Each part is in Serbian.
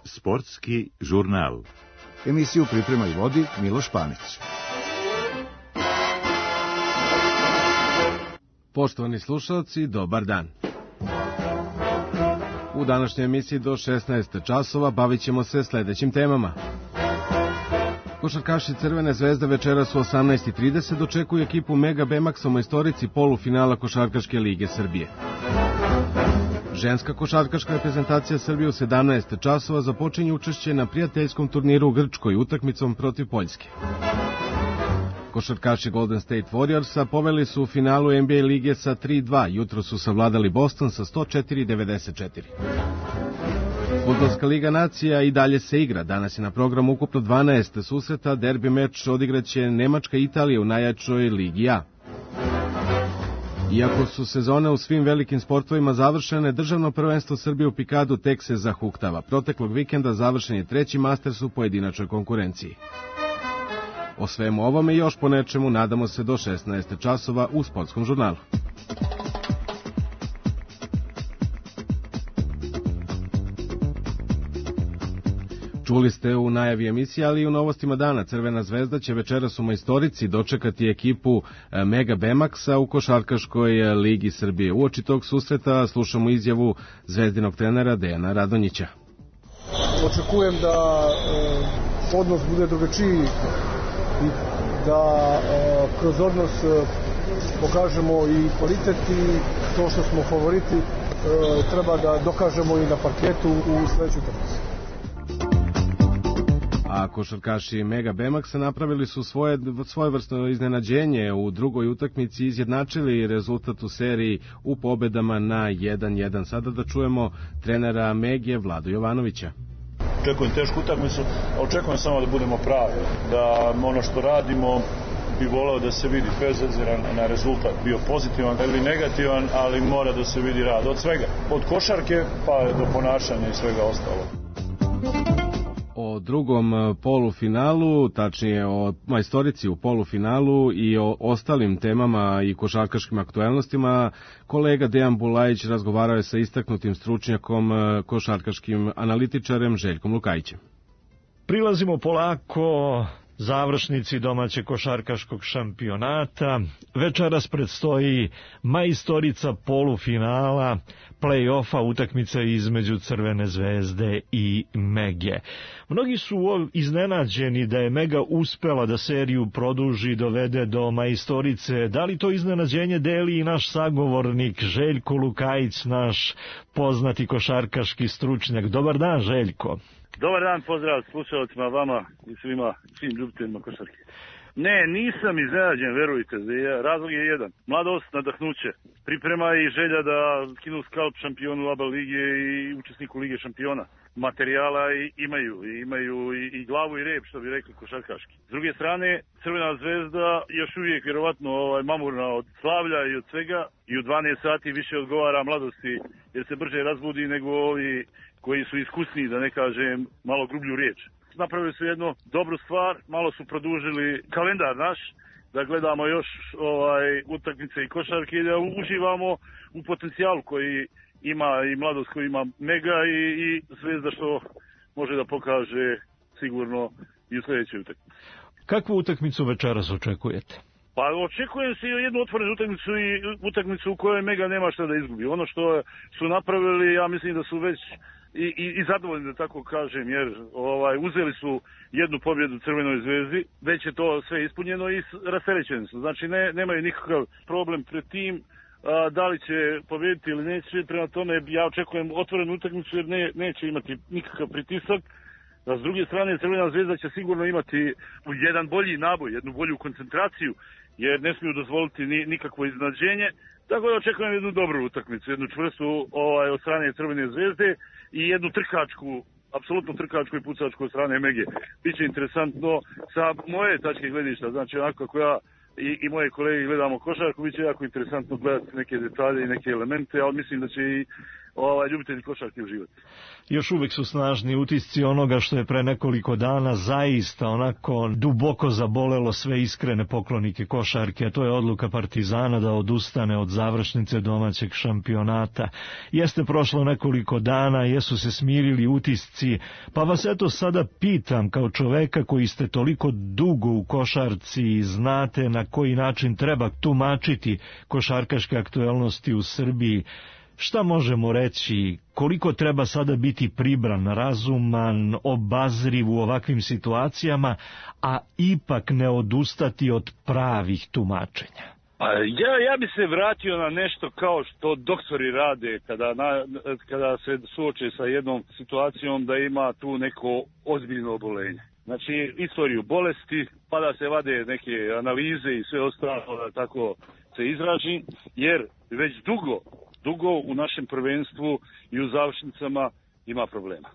Sportski žurnal. Emisiju priprema i vodi Miloš Panić. Poštovani slušalci, dobar dan. U današnjoj emisiji do 16 časova bavit ćemo se sledećim temama. Košarkaši Crvene zvezde večeras u 18:30 dočekuju ekipu Mega Bemaxa u majstorici polufinala Košarkaške lige Srbije. Ženska košarkaška reprezentacija Srbije u 17 časova započinje učešće na prijateljskom turniru u Grčkoj utakmicom protiv Poljske. Košarkaši Golden State Warriorsa poveli su u finalu NBA lige sa 3:2, jutro su savladali Boston sa 104-94. Fudbalska liga nacija i dalje se igra. Danas je na programu ukupno 12 susreta, derbi meč odigraće Nemačka i Italija u najjačoj ligi A. Iako su sezone u svim velikim sportovima završene, državno prvenstvo Srbije u pikadu tek se zahuktava. Proteklog vikenda završen je 3. Masters u pojedinačnoj konkurenciji. O svemu ovome i još po nečemu nadamo se do 16 časova u Sportskom žurnalu. Čuli ste u najavi emisije, ali i u novostima dana. Crvena zvezda će večeras u majstorici dočekati ekipu Mega Bemaxa u Košarkaškoj ligi Srbije. Uoči tog susreta slušamo izjavu zvezdinog trenera Dejana Radonjića. Očekujem da odnos bude drugačiji i da kroz odnos pokažemo i kvalitet i to što smo favoriti treba da dokažemo i na parketu u sledećoj utakmici. A košarkaši Mega Bemaxa napravili su svojevrsno iznenađenje u drugoj utakmici, izjednačili rezultat u seriji u pobedama na 1:1. Sada da čujemo trenera Megije Vladu Jovanovića. Očekujem tešku utakmicu, a očekujem samo da budemo pravi, da ono što radimo bi voleo da se vidi, bez obzira na rezultat, bio pozitivan ili negativan, ali mora da se vidi rad od svega, od košarke pa do ponašanja i svega ostalo. O drugom polufinalu, tačnije o majstorici u polufinalu i o ostalim temama i košarkaškim aktuelnostima, kolega Dejan Bulajić razgovarao je sa istaknutim stručnjakom, košarkaškim analitičarem Željkom Lukajićem. Prilazimo polako završnici domaćeg košarkaškog šampionata. Večeras predstoji majstorica polufinala, play-offa, utakmica između Crvene zvezde i Mege. Mnogi su iznenađeni da je Mega uspela da seriju produži i dovede do majstorice. Da li to iznenađenje deli i naš sagovornik Željko Lukajić, naš poznati košarkaški stručnjak? Dobar dan, Željko. Dobar dan, pozdrav slušalcima, vama i svim ljubiteljima košarke. Ne, nisam iznenađen, verujte, razlog je jedan. Mladost, nadahnuće, priprema i želja da skinu skalp šampionu ABA lige i učesniku Lige šampiona. Materijala imaju i glavu i rep, što bi rekli košarkaški. S druge strane, Crvena zvezda još uvijek vjerovatno mamurna od slavlja i od svega i u 12 sati više odgovara mladosti jer se brže razbudi nego ovi koji su iskusniji, da ne kažem malo grublju riječ. Napravili su jednu dobru stvar, malo su produžili kalendar naš, da gledamo još utakmice i košarke i da uživamo u potencijalu koji ima i mladost koji ima Mega i Zvezda što može da pokaže sigurno i u sljedećoj utakmici. Kakvu utakmicu večeras očekujete? Pa očekujem se jednu otvorenu utakmicu i utakmicu u kojoj Mega nema šta da izgubi. Ono što su napravili, ja mislim da su već i zadovoljni, da tako kažem, jer uzeli su jednu pobjedu Crvenoj zvezdi, već je to sve ispunjeno i rasterećeni su. Znači nemaju nikakav problem pred tim da li će pobjediti ili neće. Prema tome ja očekujem otvorenu utakmicu jer neće imati nikakav pritisak. A s druge strane Crvena zvezda će sigurno imati jedan bolji naboj, jednu bolju koncentraciju jer ne smiju dozvoliti nikakvo iznenađenje. Tako da očekujem jednu dobru utakmicu, jednu čvrstu od strane Crvene zvezde i jednu trkačku, apsolutno trkačku i pucačku od strane Mege. Biće interesantno sa moje tačke gledišta, znači onako kako ja i moje kolege gledamo košarku, biće jako interesantno gledati neke detalje i neke elemente, ali mislim da će i ljubitelji košarke uživati. Još uvek su snažni utisci onoga što je pre nekoliko dana zaista onako duboko zabolelo sve iskrene poklonike košarke, a to je odluka Partizana da odustane od završnice domaćeg šampionata. Jeste prošlo nekoliko dana, jesu se smirili utisci, pa vas eto sada pitam kao čoveka koji ste toliko dugo u košarci i znate na koji način treba tumačiti košarkaške aktuelnosti u Srbiji, šta možemo reći, koliko treba sada biti pribran, razuman, obazriv u ovakvim situacijama, a ipak ne odustati od pravih tumačenja? Ja bi se vratio na nešto kao što doktori rade kada se suoče sa jednom situacijom da ima tu neko ozbiljno obolenje. Znači, istoriju bolesti, pa da se vade neke analize i sve ostalo, da tako se izraži, jer već dugo u našem prvenstvu i u završnicama ima problema.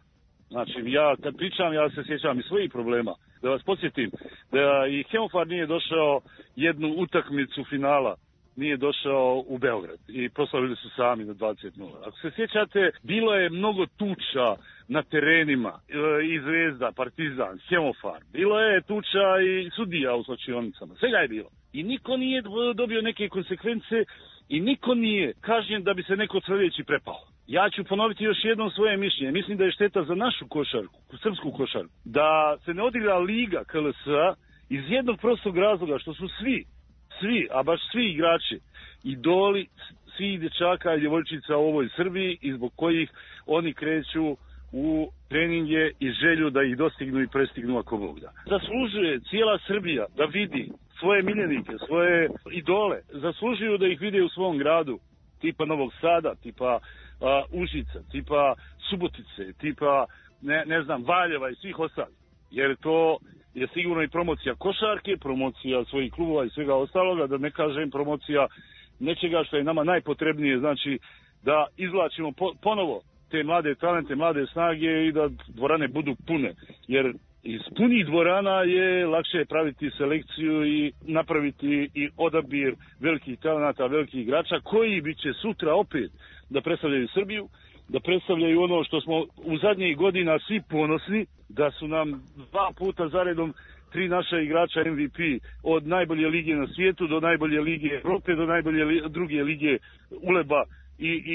Znači, ja kad pričam, ja se sjećam i svojih problema. Da vas podsjetim, da i Hemofar nije došao jednu utakmicu finala, nije došao u Beograd i proslavili su sami na 20:0. Ako se sjećate, bilo je mnogo tuča na terenima, i Zvezda, Partizan, Hemofar. Bilo je tuča i sudija u slačionicama, svega je bilo. I niko nije dobio neke konsekvence i niko nije kažnjen da bi se neko sljedeći prepao. Ja ću ponoviti još jednom svoje mišljenje. Mislim da je šteta za našu košarku, srpsku košarku, da se ne odigra Liga KLS-a iz jednog prostog razloga što su svi, a baš svi igrači, idoli svih dječaka i djevojčica u ovoj Srbiji i zbog kojih oni kreću u treninge i želju da ih dostignu i prestignu ako Bog da. Zaslužuje cijela Srbija da vidi svoje miljenike, svoje idole, zaslužuju da ih vide u svom gradu, tipa Novog Sada, tipa Užica, tipa Subotice, tipa ne znam, Valjeva i svih ostalih. Jer to je sigurno i promocija košarke, promocija svojih klubova i svega ostaloga, da ne kažem promocija nečega što je nama najpotrebnije, znači da izvlačimo ponovo te mlade talente, mlade snage i da dvorane budu pune. Jer iz punih dvorana je lakše praviti selekciju i napraviti i odabir velikih talenata, velikih igrača koji bi će sutra opet da predstavljaju Srbiju, da predstavljaju ono što smo u zadnjih godina svi ponosni, da su nam 2 puta zaredom 3 naša igrača MVP od najbolje lige na svijetu do najbolje lige Evrope, do najbolje druge lige Uleba,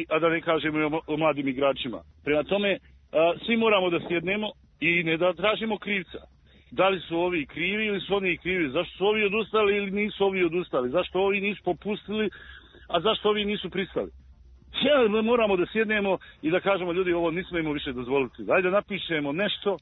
a da ne kažemo o mladim igračima. Prema tome, svi moramo da sjednemo i ne da tražimo krivca. Da li su ovi krivi ili su oni krivi? Zašto su ovi odustali ili nisu ovi odustali? Zašto ovi nisu popustili, a zašto ovi nisu pristali? Moramo da sjednemo i da kažemo, ljudi, ovo nismo imamo više dozvoliti. Dajde da napišemo nešto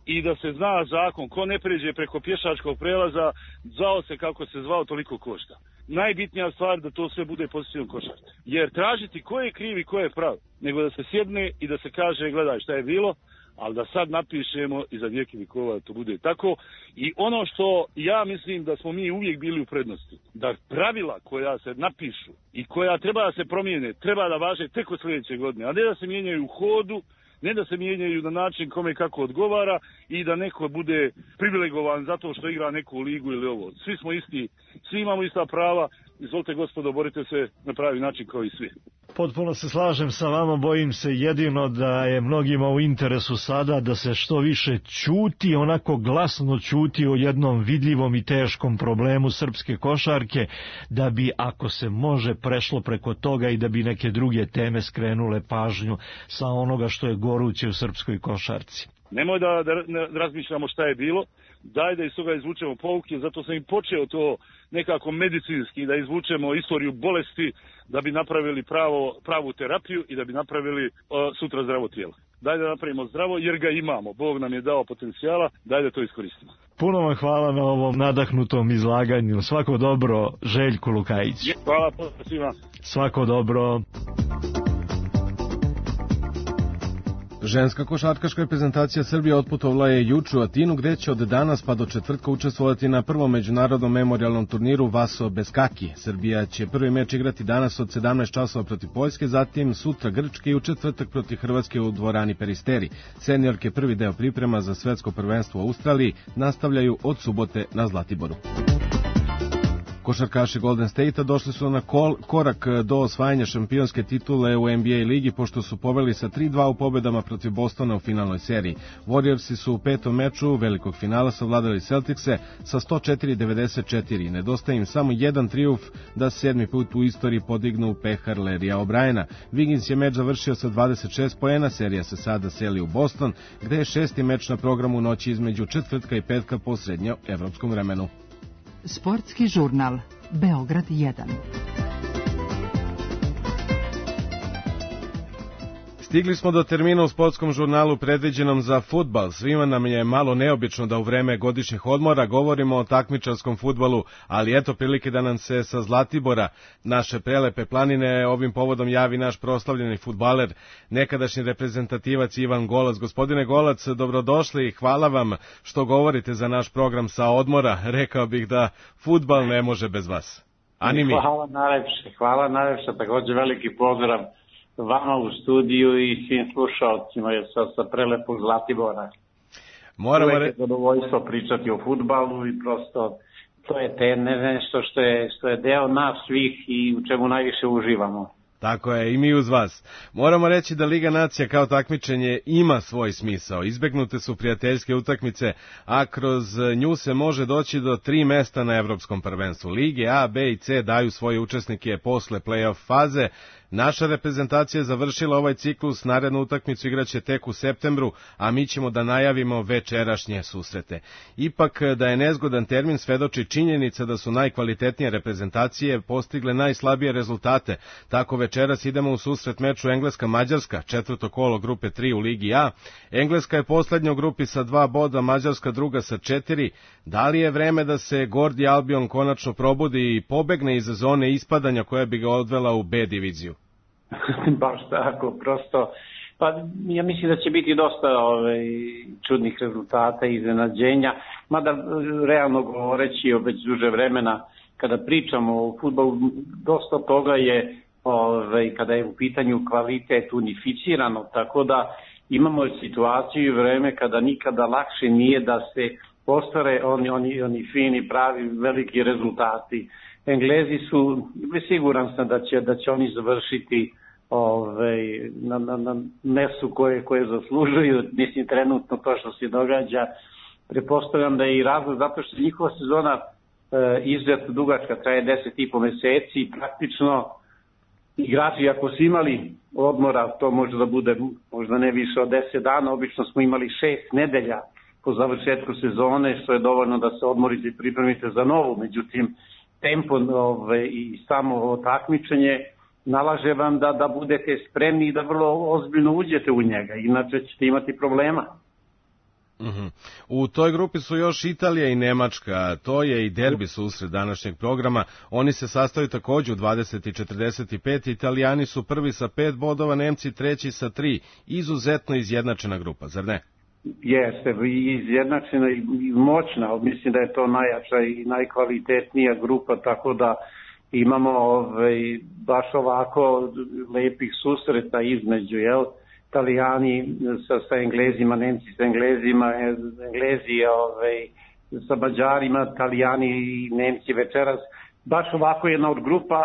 i da se zna zakon. Ko ne pređe preko pješačkog prelaza, zvao se kako se zvao, toliko košta. Najbitnija stvar da to sve bude pozitivno košarka. Jer tražiti ko je kriv i ko je prav, nego da se sjedne i da se kaže, gledaj šta je bilo, ali da sad napišemo i za vijeke vikova da to bude tako. I ono što ja mislim da smo mi uvijek bili u prednosti, da pravila koja se napišu i koja treba da se promijene, treba da važe tek od sljedeće godine, a ne da se mijenjaju u hodu, ne da se mijenjaju na način kome kako odgovara i da neko bude privilegovan zato što igra neku ligu ili ovo. Svi smo isti, svi imamo ista prava, izvolite gospodo, borite se na pravi način kao i svi. Potpuno se slažem sa vama, bojim se jedino da je mnogima u interesu sada da se što više ćuti, onako glasno ćuti o jednom vidljivom i teškom problemu srpske košarke, da bi, ako se može, prešlo preko toga i da bi neke druge teme skrenule pažnju sa onoga što je goruće u srpskoj košarci. Nemoj da razmišljamo šta je bilo, daj da iz toga izvučemo pouke, zato sam i počeo to nekako medicinski, da izvučemo istoriju bolesti, da bi napravili pravu terapiju i da bi napravili sutra zdravo tijelo. Daj da napravimo zdravo, jer ga imamo. Bog nam je dao potencijala, daj da to iskoristimo. Puno vam hvala na ovom nadahnutom izlaganju. Svako dobro, Željko Lukajić. Hvala svima. Svako dobro. Ženska košarkaška reprezentacija Srbije otputovala je juče u Atinu, gde će od danas pa do četvrtka učestvovati na prvom međunarodnom memorijalnom turniru Vaso Beskaki. Srbija će prvi meč igrati danas od 17 časova protiv Poljske, zatim sutra Grčke i u četvrtak protiv Hrvatske u dvorani Peristeri. Seniorke prvi deo priprema za svetsko prvenstvo u Australiji nastavljaju od subote na Zlatiboru. Košarkaši Golden State-a došli su na korak do osvajanja šampionske titule u NBA ligi, pošto su poveli sa 3-2 u pobedama protiv Bostona u finalnoj seriji. Warriorsi su u petom meču velikog finala savladali Celticse sa 104-94. Nedostaje im samo jedan trijumf da se 7. put u istoriji podignu pehar Larrya O'Briena. Wiggins je meč završio sa 26 poena, serija se sada seli u Boston, gde je 6. meč na programu noći između četvrtka i petka po srednjoevropskom vremenu. Sportski žurnal Beograd 1. Stigli smo do termina u sportskom žurnalu predviđenom za fudbal. Svima nam je malo neobično da u vreme godišnjih odmora govorimo o takmičarskom fudbalu, ali eto prilike da nam se sa Zlatibora, naše prelepe planine, ovim povodom javi naš proslavljeni fudbaler, nekadašnji reprezentativac Ivan Golac. Gospodine Golac, dobrodošli i hvala vam što govorite za naš program sa odmora. Rekao bih da fudbal ne može bez vas. Ani mi. Hvala najlepše, također veliki pozdrav vama u studiju i svim slušalcima sa prelepog Zlatibora. Uvijek je zadovoljstvo pričati o fudbalu i prosto to je nešto što je deo nas svih i u čemu najviše uživamo. Tako je, i mi uz vas. Moramo reći da Liga nacija kao takmičenje ima svoj smisao. Izbegnute su prijateljske utakmice, a kroz nju se može doći do 3 mesta na evropskom prvenstvu. Lige A, B i C daju svoje učesnike posle play-off faze. Naša reprezentacija je završila ovaj ciklus, narednu utakmicu igraće tek u septembru, a mi ćemo da najavimo večerašnje susrete. Ipak da je nezgodan termin svedoči činjenica da su najkvalitetnije reprezentacije postigle najslabije rezultate. Tako večeras idemo u susret meču Engleska-Mađarska, četvrto kolo grupe 3 u Ligi A. Engleska je poslednja u grupi sa 2 boda, Mađarska druga sa 4. Da li je vreme da se Gordi Albion konačno probudi i pobegne iz zone ispadanja koja bi ga odvela u B diviziju? Baš tako, prosto, pa ja mislim da će biti dosta čudnih rezultata i iznenađenja, mada realno govoreći već duže vremena, kada pričamo o fudbalu, dosta toga je, kada je u pitanju kvalitet unificirano, tako da imamo situaciju i vreme kada nikada lakše nije da se ostvare oni fini, pravi, veliki rezultati. Englezi su, siguran sam da će oni završiti na mestu koje zaslužuju. Mislim, trenutno to što se događa, pretpostavljam da je i razlog zato što njihova sezona izuzetno dugačka, traje 10,5 meseci i praktično igrači ako su imali odmora, to može da bude možda ne više od 10 dana, obično smo imali 6 nedelja po završetku sezone, što je dovoljno da se odmorite i pripremite za novu, međutim tempo i samo takmičenje nalaže vam da budete spremni i da vrlo ozbiljno uđete u njega, inače ćete imati problema. U toj grupi su još Italija i Nemačka, to je i derbi susret današnjeg programa, oni se sastaju također u 20:45, Italijani su prvi sa 5 bodova, Nemci treći sa 3, izuzetno izjednačena grupa, zar ne? Jeste, izjednačena i moćna, mislim da je to najjača i najkvalitetnija grupa, tako da imamo baš ovako lepih susreta između, Italijani sa Englezima, Nemci sa Englezima, Englezi sa Mađarima, Italijani i Nemci večeras. Baš ovako jedna od grupa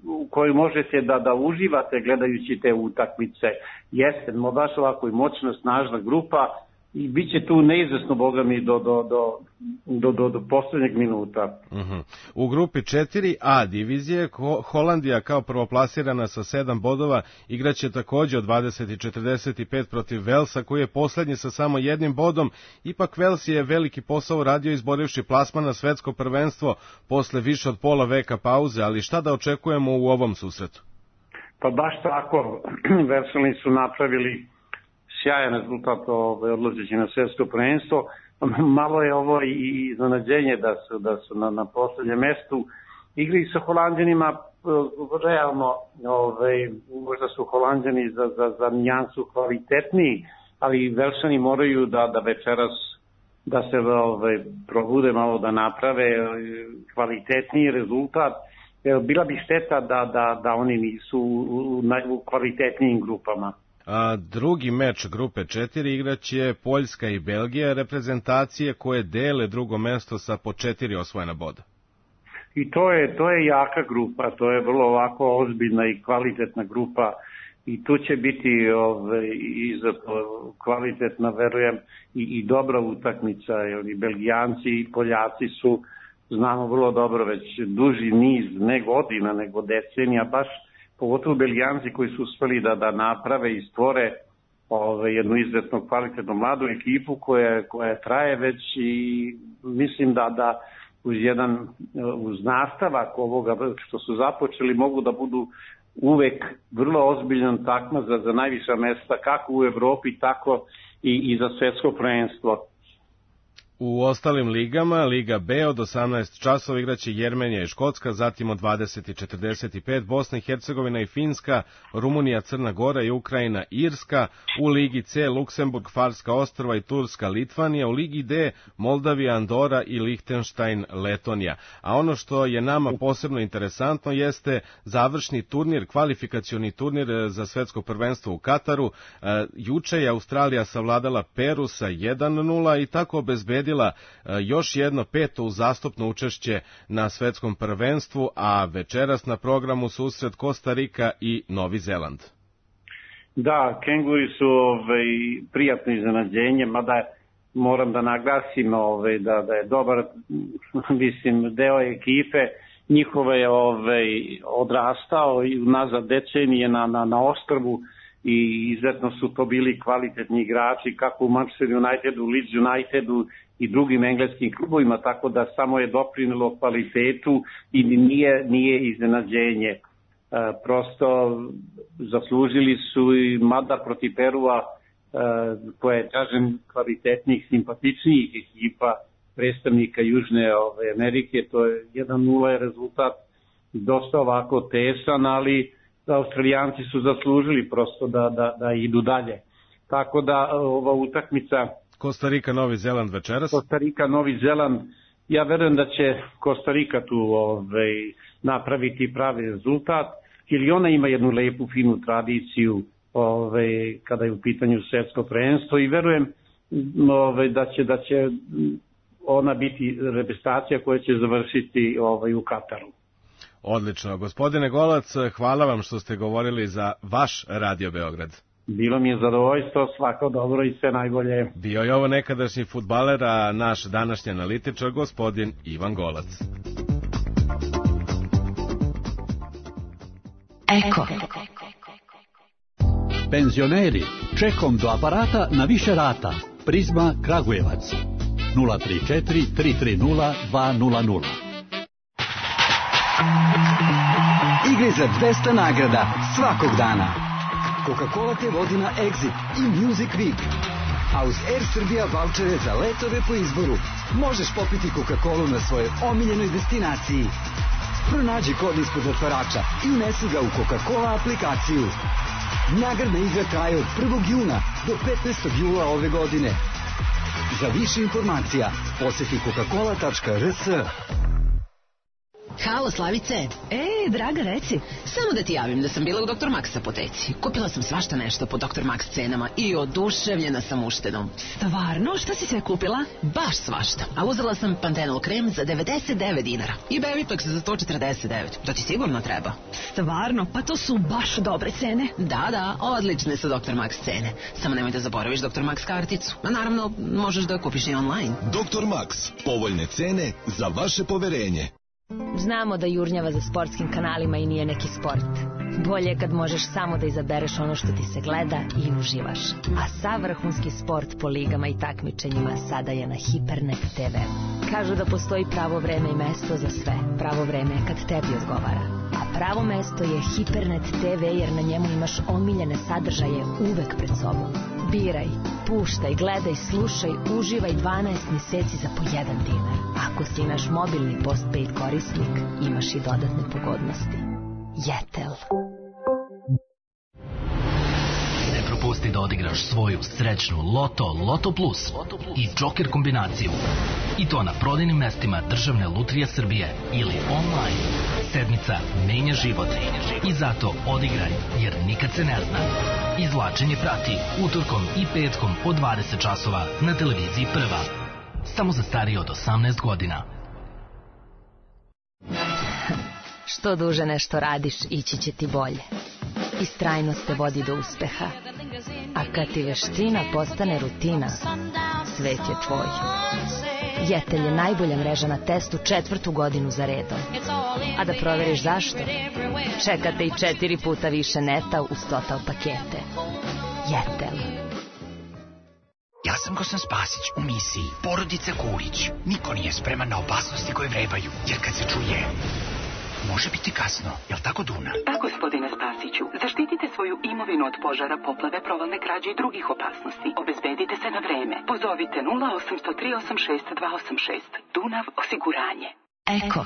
u kojoj možete da uživate gledajući te utakmice. Jeste, baš ovako i moćna, snažna grupa i bit će tu neizvesno, boga mi, do posljednjeg minuta. U grupi 4A divizije Holandija kao prvoplasirana sa 7 bodova igraće također od 20:45 protiv Velsa koji je posljednji sa samo 1 bodom. Ipak Vels je veliki posao radio izborivši plasman na svetsko prvenstvo posle više od pola veka pauze, ali šta da očekujemo u ovom susretu? Pa baš tako, Velšani su napravili sjajan rezultat odlazeći na svjetsko prvenstvo. Malo je ovo i iznenađenje da su na posljednjem mestu. Igri sa Holanđanima, realno, možda su Holanđani za nijansu kvalitetniji, ali Velšani moraju da večeras da se probude malo, da naprave kvalitetniji rezultat. Bila bi šteta da oni nisu u kvalitetnijim grupama. Drugi meč grupe 4 igraće Poljska i Belgija, reprezentacije koje dele drugo mesto sa po 4 osvojena boda. I to je jaka grupa, to je vrlo ovako ozbiljna i kvalitetna grupa i tu će biti kvalitetna, verujem, i dobra utakmica, jer i Belgijanci i Poljaci su, znamo vrlo dobro, već duži niz, ne godina, nego decenija, baš pogotovo Belgijanci koji su uspeli da naprave i stvore jednu izuzetno kvalitetnu mladu ekipu koja traje već i mislim da uz nastavak ovoga što su započeli mogu da budu uvek vrlo ozbiljan takmac za najviša mesta kako u Evropi tako i za svetsko prvenstvo. U ostalim ligama, Liga B od 18 časova igraće Jermenija i Škotska, zatim od 20:45 Bosna i Hercegovina i Finska, Rumunija, Crna Gora i Ukrajina, Irska, u Ligi C Luksemburg, Farska ostrva i Turska, Litvanija, u Ligi D Moldavija, Andora i Lihtenštajn, Letonija. A ono što je nama posebno interesantno jeste završni turnir, kvalifikacioni turnir za svetsko prvenstvo u Kataru. Juče je Australija savladala Peru sa 1:0 i tako obezbedila još jedno 5. uzastopno učešće na svetskom prvenstvu, a večeras na programu susret Kostarika i Novi Zeland. Da, Kenguri su prijatno iznenađenje, mada moram da naglasim da je dobar deo ekipe njihove odrastao i nazad decenije na ostrvu i izuzetno su to bili kvalitetni igrači kako u Manchester Unitedu, Leeds Unitedu i drugim engleskim klubovima, tako da samo je doprinelo kvalitetu i nije iznenađenje. Prosto zaslužili su i mada protiv Perua, koja je, kažem, kvalitetnih, simpatičnijih ekipa predstavnika Južne Amerike, to je 1:0 je rezultat dosta ovako tesan, ali Australijanci su zaslužili prosto da idu dalje. Tako da ova utakmica Kostarika, Novi Zeland večeras. Kostarika, Novi Zeland, ja verujem da će Kostarika tu napraviti pravi rezultat, jer i ona ima jednu lepu, finu tradiciju kada je u pitanju svetsko prvenstvo i verujem da će ona biti reprezentacija koja će završiti u Kataru. Odlično. Gospodine Golac, hvala vam što ste govorili za vaš Radio Beograd. Bilo mi je zadovoljstvo, svako dobro i sve najbolje. Bio je ovo nekadašnji fudbaler, a naš današnji analitičar, gospodin Ivan Golac. Eko. Penzioneri, čekom do aparata na više rata. Prizma Kragujevac. 034 330 200. Igre za 200 nagrada svakog dana. Coca-Cola te vodi na Exit i Music Week. A uz Air Srbija vouchere za letove po izboru možeš popiti Coca-Colu na svojoj omiljenoj destinaciji. Pronađi kod ispod otvarača i unesi ga u Coca-Cola aplikaciju. Nagradna igra traje od 1. juna do 15. jula ove godine. Za više informacija posjeti coca-cola.rs. Halo, Slavice. Draga, reci. Samo da ti javim da sam bila u Dr. Max apoteci. Kupila sam svašta nešto po Dr. Max cenama i oduševljena sam uštedom. Stvarno? Šta si sve kupila? Baš svašta. A uzela sam Pantenol krem za 99 dinara i Bevipax za 149. To ti sigurno treba. Stvarno? Pa to su baš dobre cene. Da, odlične su Dr. Max cene. Samo nemoj da zaboraviš Dr. Max karticu. A naravno, možeš da kupiš i online. Dr. Max. Povoljne cene za vaše poverenje. Znamo da jurnjava za sportskim kanalima i nije neki sport. Bolje je kad možeš samo da izabereš ono što ti se gleda i uživaš. A sav vrhunski sport po ligama i takmičenjima sada je na Hipernet TV. Kažu da postoji pravo vreme i mesto za sve. Pravo vreme je kad tebi odgovara. A pravo mesto je Hipernet TV jer na njemu imaš omiljene sadržaje uvek pred sobom. Biraj, puštaj, gledaj, slušaj, uživaj 12 meseci za po 1 dinar. Ako si naš mobilni postpaid korisnik, imaš i dodatne pogodnosti. Jetel. Ne propusti da odigraš svoju srećnu Loto Plus i Joker kombinaciju. I to na prodajnim mestima Državne lutrije Srbije ili online. Sedmica menja život. I zato odigraj, jer nikad se ne zna. Izvlačenje prati utorkom i petkom od 20 časova na televiziji Prva. Samo za starije od 18 godina. Što duže nešto radiš, ići će ti bolje. Istrajnost te vodi do uspeha. A kad ti veština postane rutina, svet je tvoj. Jetel je najbolja mreža na testu 4. godinu za redom. A da proveriš zašto? Čekate i 4 puta više neta uz Total pakete. Jetel. Ja sam Gosan Spasić u misiji Porodice Kulić. Niko nije spreman na opasnosti koje vrebaju, jer kad se čuje, može biti kasno. Jel tako, Duna? Da, gospodine Spasiću. Zaštitite svoju imovinu od požara, poplave, provalne krađe i drugih opasnosti. Obezbedite se na vreme. Pozovite 0800 386 286. Dunav osiguranje. Eko.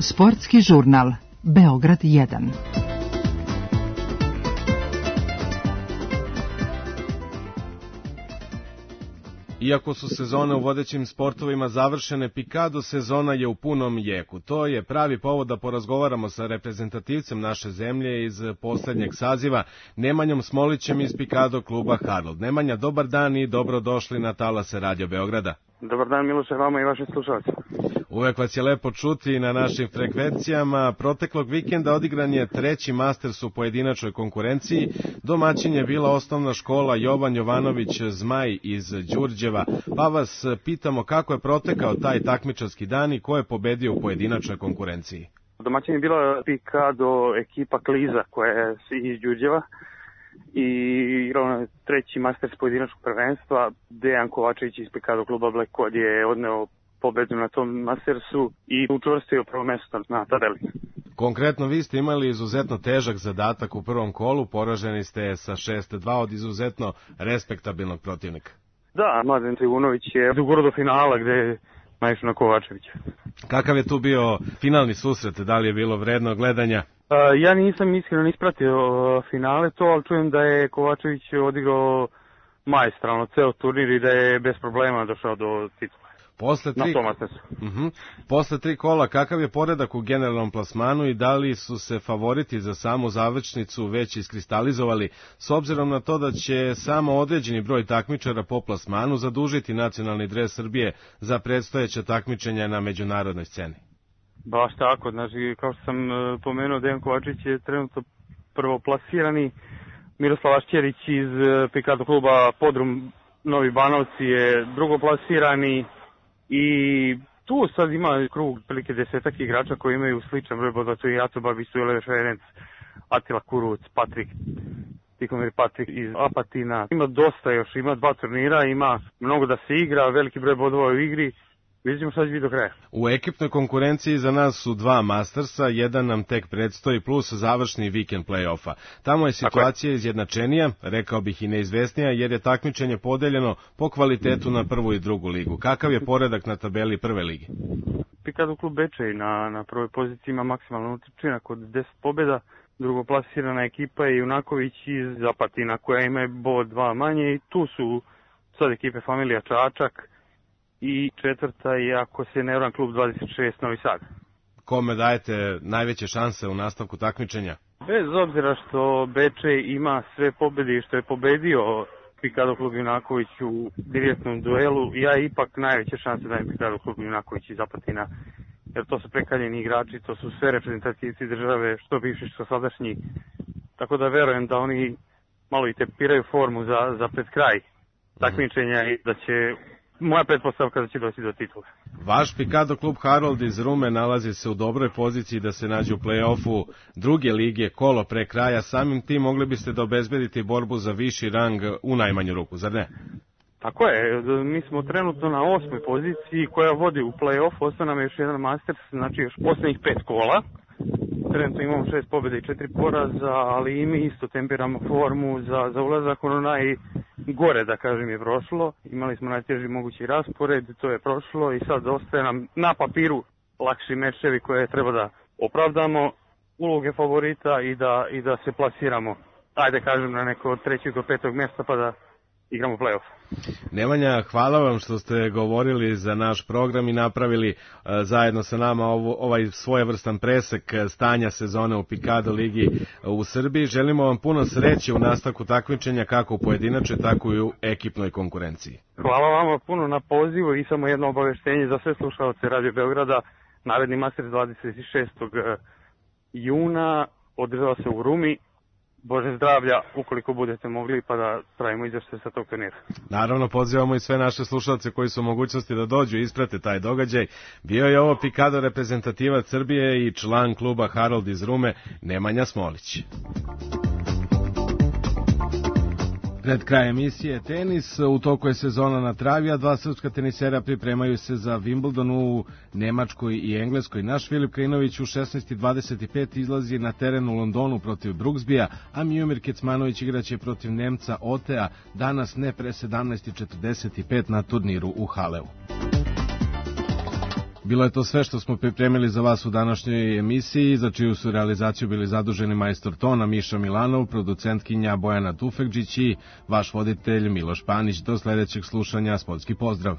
Sportski žurnal Beograd 1. Iako su sezone u vodećim sportovima završene, pikado sezona je u punom jeku. To je pravi povod da porazgovaramo sa reprezentativcem naše zemlje iz poslednjeg saziva, Nemanjom Smolićem iz pikado kluba Harold. Nemanja, dobar dan i dobrodošli na talase Radio Beograda. Dobar dan, Miloše, vama i vašim slušalcima. Uvek vas je lepo čuti na našim frekvencijama. Proteklog vikenda odigran je 3. Masters u pojedinačnoj konkurenciji. Domaćin je bila osnovna škola Jovan Jovanović Zmaj iz Đurđeva. Pa vas pitamo kako je protekao taj takmičarski dan i ko je pobedio u pojedinačnoj konkurenciji. Domaćin je bila pikado ekipa Kliza koja je iz Đurđeva i igrao na 3. Masters pojedinačnog prvenstva. Dejan Kovačević iz pikado kluba Black Code je odneo pobedu na tom Mastersu i učvrstio prvo mesto na tabeli. Konkretno vi ste imali izuzetno težak zadatak u prvom kolu, poraženi ste sa 6-2 od izuzetno respektabilnog protivnika. Da, Mladen Trivunović je dogurao do finala gde je naišao na Kovačevića. Kakav je tu bio finalni susret, da li je bilo vredno gledanja? Ja nisam iskreno ispratio finale to, ali čujem da je Kovačević odigrao maestralno ceo turnir i da je bez problema došao do titula. Posle 3 kola, kakav je poredak u generalnom plasmanu i da li su se favoriti za samu završnicu već iskristalizovali, s obzirom na to da će samo određeni broj takmičara po plasmanu zadužiti nacionalni dres Srbije za predstojeća takmičenja na međunarodnoj sceni? Baš tako, znači kao što sam pomenuo, Dejan Kovačić je trenutno prvoplasirani, Miroslav Ašćerić iz pikado kluba Podrum Novi Banovci je drugoplasirani. I tu sad ima krug prilike 10 igrača koji imaju sličan broj bodova, to je Jaco Babić, Sujele Ferenc, Atila Kuruc, Tihomir Patrik iz Apatina. Ima dosta još, ima 2 turnira, ima mnogo da se igra, veliki broj bodova u igri. Vidimo šta će biti do kraja. U ekipnoj konkurenciji za nas su 2 Mastersa, jedan nam tek predstoji plus završni vikend play-offa. Tamo je situacija izjednačenija, rekao bih i neizvesnija, jer je takmičenje podeljeno po kvalitetu na prvu i drugu ligu. Kakav je poredak na tabeli prve lige? Pikado klub Bečej na prvoj poziciji ima maksimalno učinak od 10 pobjeda. Drugoplasirana ekipa je Junaković iz Apatina koja ima bod 2 manje i tu su sad ekipe Familija Čačak. I četvrta je, ako se ne varam, klub 26 Novi Sad. Kome dajete najveće šanse u nastavku takmičenja? Bez obzira što Bečej ima sve pobjede i što je pobedio pikado klub Junaković u direktnom duelu, ja ipak najveće šanse dajem pikado klub Junaković iz Apatina, jer to su prekaljeni igrači, to su sve reprezentativci države, što bivši, što sadašnji. Tako da verujem da oni malo i tepiraju formu za pred kraj takmičenja i da će... Moja pretpostavka da će doći do titula. Vaš pikado klub Harold iz Rume nalazi se u dobroj poziciji da se nađe u play-offu druge lige kolo pre kraja. Samim tim mogli biste da obezbedite borbu za viši rang u najmanju ruku, zar ne? Tako je, mi smo trenutno na 8. poziciji koja vodi u play-off, ostao nam je još jedan Masters, znači još posljednjih 5 kola. Trenutno imamo 6 pobjeda i 4 poraza, ali i mi isto tempiramo formu za ulazak, ono najgore da kažem je prošlo. Imali smo najteži mogući raspored, to je prošlo i sad ostaje nam na papiru lakši mečevi koje treba da opravdamo, uloge favorita i da se plasiramo, ajde kažem, na neko od 3. do 5. mjesta pa da igramo play-off. Nemanja, hvala vam što ste govorili za naš program i napravili zajedno sa nama ovaj svojevrstan presek stanja sezone u Pikado ligi u Srbiji. Želimo vam puno sreće u nastavku takmičenja kako u pojedinačnoj, tako i u ekipnoj konkurenciji. Hvala vama puno na pozivu i samo jedno obaveštenje za sve slušalce Radio Beograda. Naredni Masters 26. juna održava se u Rumi. Bože zdravlja, ukoliko budete mogli, pa da pravimo izveštaj sa tog turnira. Naravno, pozivamo i sve naše slušalce koji su u mogućnosti da dođu i isprate taj događaj. Bio je ovo Pikado reprezentativac Srbije i član kluba Harold iz Rume, Nemanja Smolić. Pred kraj emisije tenis, u toku je sezona na travi, a dva srpska tenisera pripremaju se za Wimbledon u Nemačkoj i Engleskoj. Naš Filip Krinović u 16:25 izlazi na teren u Londonu protiv Brooksbya, a Miomir Kecmanović igraće protiv Nemca Otea danas ne pre 17:45 na turniru u Haleu. Bilo je to sve što smo pripremili za vas u današnjoj emisiji, za čiju su realizaciju bili zaduženi majstor tona Miša Milanov, producentkinja Bojana Tufekđić i vaš voditelj Miloš Panić. Do sledećeg slušanja, sportski pozdrav.